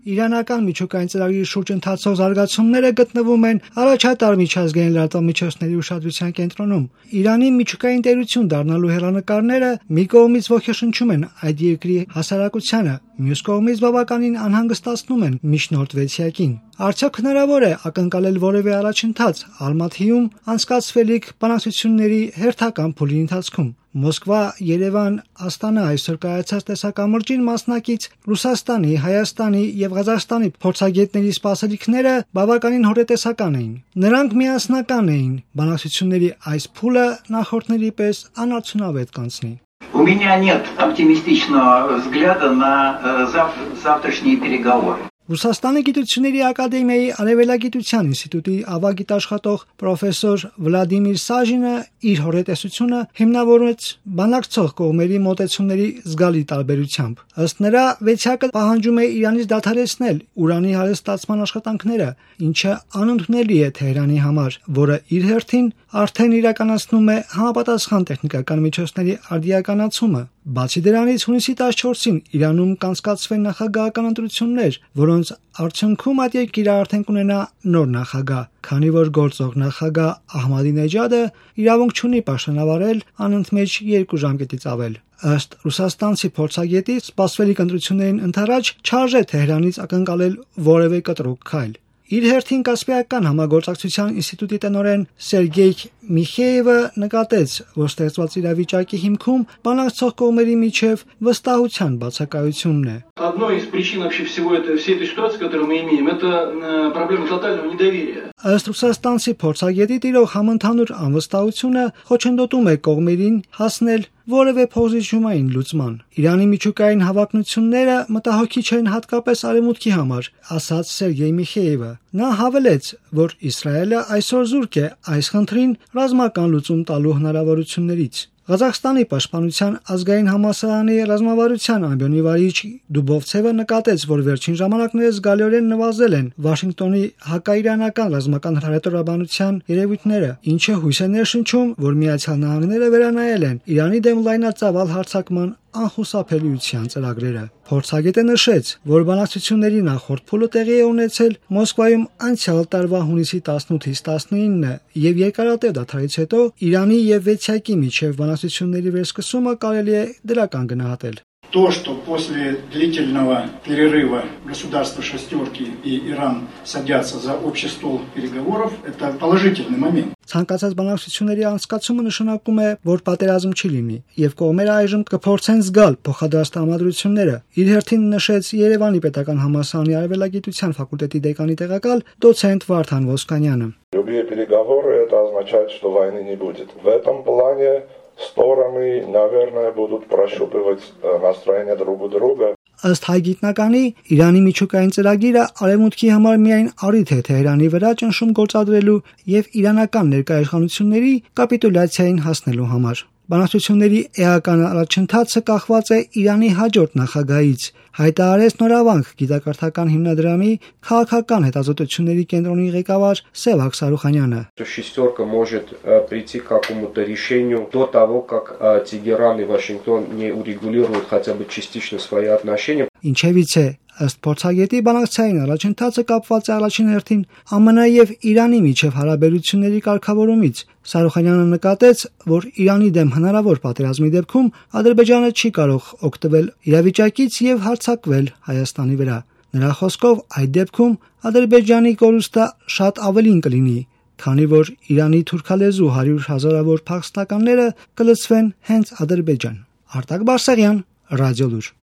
Իրանական միջուկային ծրագրի շուրջ ընթացող զարգացումները գտնվում են առաջատար միջազգային լրատվամիջոցների ուշադրության կենտրոնում։ Իրանի միջուկային տերություն դառնալու հեռանկարները մի կողմից ոգեշնչում են այդ երկրի հասարակությանը, մյուս կողմից բավականին անհանգստացնում են միջնորդ-վեցյակին։ Արդյոք հնարավոր է ակնկալել որևէ առաջընթաց Ալմաթիում անցկացվելիք բանակցությունների հերթական փուլի ընթացքում։ Մոսկվա, Երևան, Աստանա այսօր կայացած տեսակամրջին մասնակից Ռուսաստանի, Հայաստանի եւ Ղազախստանի փորձագետների սպասելիքները բավականին հոռետեսական էին։ Նրանք միասնական էին բանակցությունների այս փուլը նախորդների պես անարդյունավետ կանցնի։ У меня нет оптимистичного взгляда на завтрашние переговоры. Ռուսաստանի գիտությունների ակադեմիայի Արևելագիտության ինստիտուտի ավագիտաշխատող պրոֆեսոր Վլադիմիր Սաժինը իր հոռետեսությունը հիմնավորեց բանակցող կողմերի մոտեցումների զգալի տարբերությամբ։ Ըստ նրա, վեցյակը պահանջում է Իրանից դադարեցնել ուրանի հարստացման աշխատանքները, ինչը անընդունելի է Թեհրանի համար, որը իր հերթին արդեն իրականացնում է համապատասխան տեխնիկական միջոցների արդիականացումը։ Բացի դրանից, հունիսի 14-ին Իրանում կանցկացվեն նախագահական ընտրություններ, որոնց արդյունքում այդ երկիրը արդեն կունենա նոր նախագահ, քանի որ գործող նախագահ Ահմադինեջադը իրավունք չունի պաշտոնավարել անընդմեջ 2 ժամկետից ավել։ Ըստ ռուսաստանցի փորձագետի, սպասվելիք ընտրություններին ընդառաջ չարժե Թեհրանից ակնկալել որևէ կտրուկ քայլ։ Իր հերթին Կասպիական համագործակցության ինստիտուտի տնօրեն Սերգեյ Միխեևը նկատեց, որ ստեղծված իրավիճակի հիմքում բանակցող կողմերի միջև վստահության բացակայությունն է։ Одной из причин вообще всей этой ситуации, которую мы имеем, это проблема тотального недоверия. Ըստ ռուսաստանցի փորձագետի տիրող համընդհանուր անվստահությունը խոչընդոտում է կողմերին հասնել որևէ փոխզիջումային լուծման։ Իրանի միջուկային հավակնությունները մտահոգիչ են հատկապես արևմուտքի համար, ասաց Սերգեյ Միխեևը։ Նա հավելեց, որ Իսրայելը այսօր զուրկ է այս խնդրին ռազմական լուծում տալու հնարավորություններից։ Ղազախստանի պաշտպանության ազգային համալսարանի ռազմավարության ամբիոնի վարիչ Դուբովցևը նկատեց, որ վերջին ժամանակներս զգալիորեն նվազել են Վաշինգտոնի հակաիրանական ռազմական հրետորաբանության երևույթները, ինչը հույս է ներշնչում, որ Միացյալ Նահանգները վերանայել են Իրանի դեմ լայնածավալ հարձակման անխուսափելիության ծրագրերը։ Փորձագետը նշեց, որ բանակցությունների նախորդ փուլը տեղի է ունեցել Մոսկվայում անցյալ տարվա հունիսի 18-ից 19-ը եւ երկարատև դադարից հետո Իրանի եւ վեցյակի միջև բանակցությունների վերսկսումը կարելի է դրական գնահատել։ То, что после длительного перерыва государства «шестерки» и Иран садятся за общий стол переговоров, это положительный момент. Ցանկացած բանակցությունների անցկացումը նշանակում է, որ պատերազմ չի լինի, եւ կողմերը այժմ կփորձեն զգալ փոխադարձ տրամադրությունները։ Իր հերթին նշեց Երևանի պետական համալսարանի արևելագիտության ֆակուլտետի դեկանի տեղակալ դոցենտ Վարդան Ոսկանյանը։ Любые переговоры это означает, что войны не будет. В этом плане стороны, наверное, будут прощупывать настроение друг у друга. Ըստ հայ գիտնականի, Իրանի միջուկային ծրագիրը արևմուտքի համար միայն առիթ է Թեհրանի վրա ճնշում գործադրելու եւ իրանական ներկայացությունների կապիտուլյացիային հասնելու համար։ Բանակցությունների էական առաջընթացը կախված է Իրանի հաջորդ նախագահից, հայտարարեց Նորավանք գիտակարդական հիմնադրամի քաղաքական հետազոտությունների կենտրոնի ղեկավար Սևակ Սարուխանյանը։ Шестерка может прийти к какому-то решению до того, как Тегеран и Вашингтон не урегулируют хотя бы частично свои отношения. Ինչևից է, ըստ փորձագետի բանակցային առաջընթացը կապված է առաջին հերթին ԱՄՆ եւ Իրանի միջև հարաբերությունների կարգավորումից։ Սարուխանյանը նկատեց, որ Իրանի դեմ հնարավոր պատերազմի դեպքում Ադրբեջանը չի կարող օգտվել իրավիճակից եւ հարձակվել Հայաստանի վրա։ Նրա խոսքով այդ դեպքում Ադրբեջանի կորուստը շատ ավելին կլինի, քանի որ Իրանի թուրքալեզու 100,000-ավոր փախստականները կլցվեն հենց Ադրբեջան։ Արտակ Բարսեղյան, Ռադիոլուր։